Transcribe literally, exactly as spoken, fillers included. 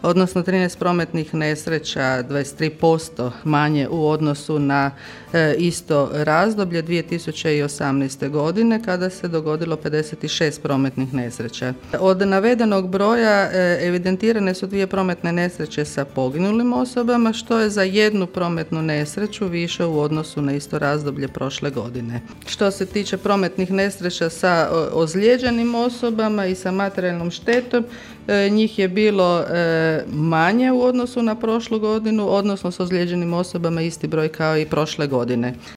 odnosno trinaest prometnih nesreća, dvadeset tri posto manje u odnosu na e, isto razdoblje dvije tisuće osamnaeste. godine kada se dogodilo pedeset šest prometnih nesreća. Od navedenog broja e, evidentirane su dvije prometne nesreće sa poginulim osobama, što je za jednu prometnu nesreću više u odnosu na isto razdoblje prošle godine. Što se tiče prometnih nesreća sa ozlijeđenim osobama i sa materijalnom štetom, e, njih je bilo e, manje u odnosu na prošlu godinu, odnosno s ozlijeđenim osobama isti broj kao i prošle godine.